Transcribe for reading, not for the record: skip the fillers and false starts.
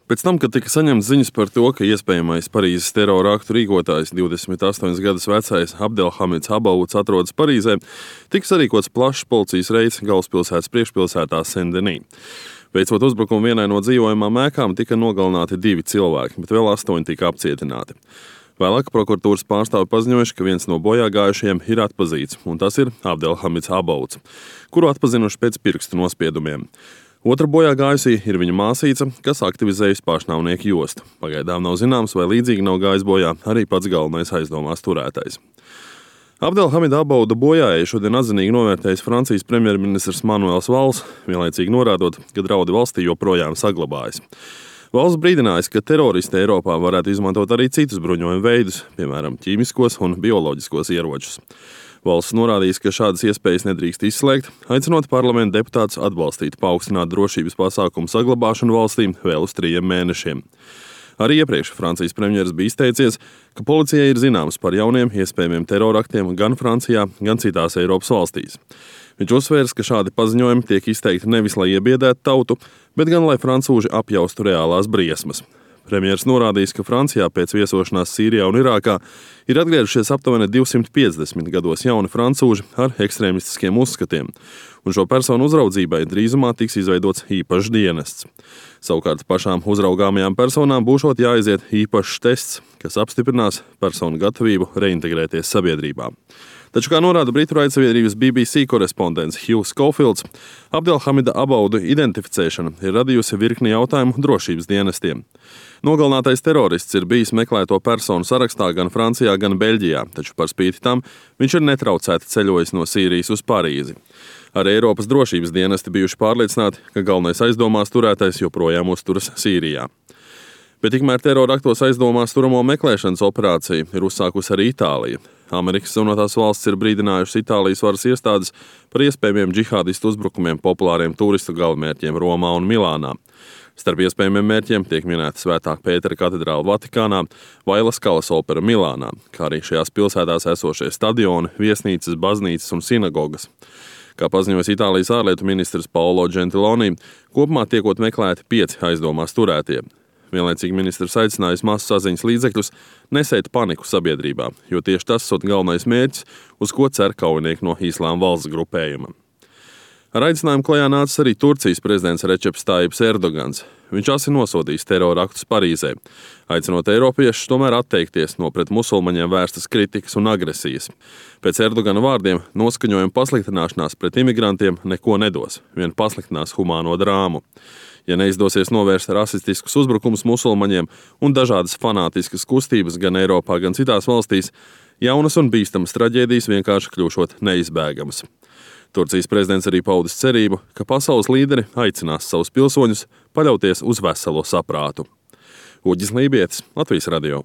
Pēc tam, kad tika saņemts ziņas par to, ka iespējamais Parīzes terora aktu rīkotājs 28 gadus vecais Abdelhamids Abouds atrodas Parīzē, tika sarīkots plašs policijas reids galvaspilsētas priekšpilsētā Saint-Denis. Veicot uzbrukumu vienai no dzīvojamām ēkām, tika nogalināti 2 cilvēki, bet vēl 8 tika apcietināti. Vēlāk prokuratūras pārstāvi paziņojuši, ka viens no bojāgājušajiem ir atpazīts, un tas ir Abdelhamids Abouds, kuru atpazinuši pēc pirkstu nospiedumiem. Otra bojāgājusī ir viņa māsīca, kas aktivizējusi pašnāvnieku jostu. Pagaidām nav zināms, vai līdzīgi nav gājis bojā arī pats galvenais aizdomās turētais. Abdelhamida Abouda bojājēju šodien atzinīgi novērtējis Francijas premjerministrs Manuels Valls, vienlaicīgi norādot, ka draudi valstī joprojām saglabājas. Valsts brīdinājis, ka teroristi Eiropā varētu izmantot arī citus bruņojumu veidus, piemēram, ķīmiskos un bioloģiskos ieročus. Valsts norādījis, ka šādas iespējas nedrīkst izslēgt, aicinot parlamenta deputātus atbalstīt paaugstināt drošības pasākumu saglabāšanu valstī vēl uz 3 mēnešiem. Arī iepriekš Francijas premjeras bija izteicies, ka policijai ir zināms par jauniem iespējamiem teroraktiem gan Francijā, gan citās Eiropas valstīs. Viņš uzsvērs, ka šādi paziņojumi tiek izteikti nevis, lai iebiedētu tautu, bet gan, lai francūži apjaustu reālās briesmas. Premjers norādījis, ka Francijā pēc viesošanās Sīrijā un Irākā ir atgriežušies aptuveni 250 gados jauni francūži ar ekstrēmistiskiem uzskatiem, un šo personu uzraudzībai drīzumā tiks izveidots īpašs dienests. Savukārt pašām uzraugāmajām personām būšot jāaiziet īpašs tests, kas apstiprinās personu gatavību reintegrēties sabiedrībā. Taču, kā norāda Britu raidsabiedrības BBC korespondents Hugh Schofields, Abdelhamida Abouda identificēšana ir radījusi virkni jautājumu drošības dienestiem. Nogalinātais terorists ir bijis meklēto personu sarakstā gan Francijā, gan Beļģijā, taču par spīti tam viņš ir netraucēti ceļojis no Sīrijas uz Parīzi. Arī Eiropas drošības dienesti bijuši pārliecināti, ka galvenais aizdomās turētais joprojām uzturas Sīrijā. Bet tikmēr terora aktos aizdomās turamo meklēšanas operāciju ir uzsākusi arī Itālija. Amerikas Savienotās valstis ir brīdinājušas Itālijas varas iestādes par iespējamiem džihādistu uzbrukumiem populāriem turistu galamērķiem Romā un Milānā. Starp iespējamiem mērķiem tiek minēta Svētā Pētera katedrāle Vatikānā vai La Skalas opera Milānā, kā arī šajās pilsētās esošie stadioni, viesnīcas, baznīcas un sinagogas. Kā paziņojas Itālijas ārlietu ministrs Paolo Gentiloni, kopumā tiekot meklēti 5 aizdomās turētie. Vienlaicīgi ministrs aicinājis masu saziņas līdzekļus nesēt paniku sabiedrībā, jo tieši tas ir galvenais mērķis, uz ko cer kaujinieki no Islāma valsts grupējuma. Ar aicinājumu klajā nācis arī Turcijas prezidents Receps Tayyips Erdogans. Viņš asi nosodījis terora aktus Parīzē, aicinot eiropiešus tomēr atteikties no pret musulmaņiem vērstas kritikas un agresijas. Pēc Erdogana vārdiem noskaņojuma pasliktināšanās pret imigrantiem neko nedos, vien pasliktinās humāno drāmu. Ja neizdosies novērst rasistiskus uzbrukumus musulmaņiem un dažādas fanātiskas kustības gan Eiropā, gan citās valstīs, jaunas un bīstamas traģēdijas vienkārši kļūšot neizbēgamas. Turcijas prezidents arī paudis cerību, ka pasaules līderi aicinās savus pilsoņus paļauties uz veselo saprātu. Uģis Lībietis, Latvijas radio.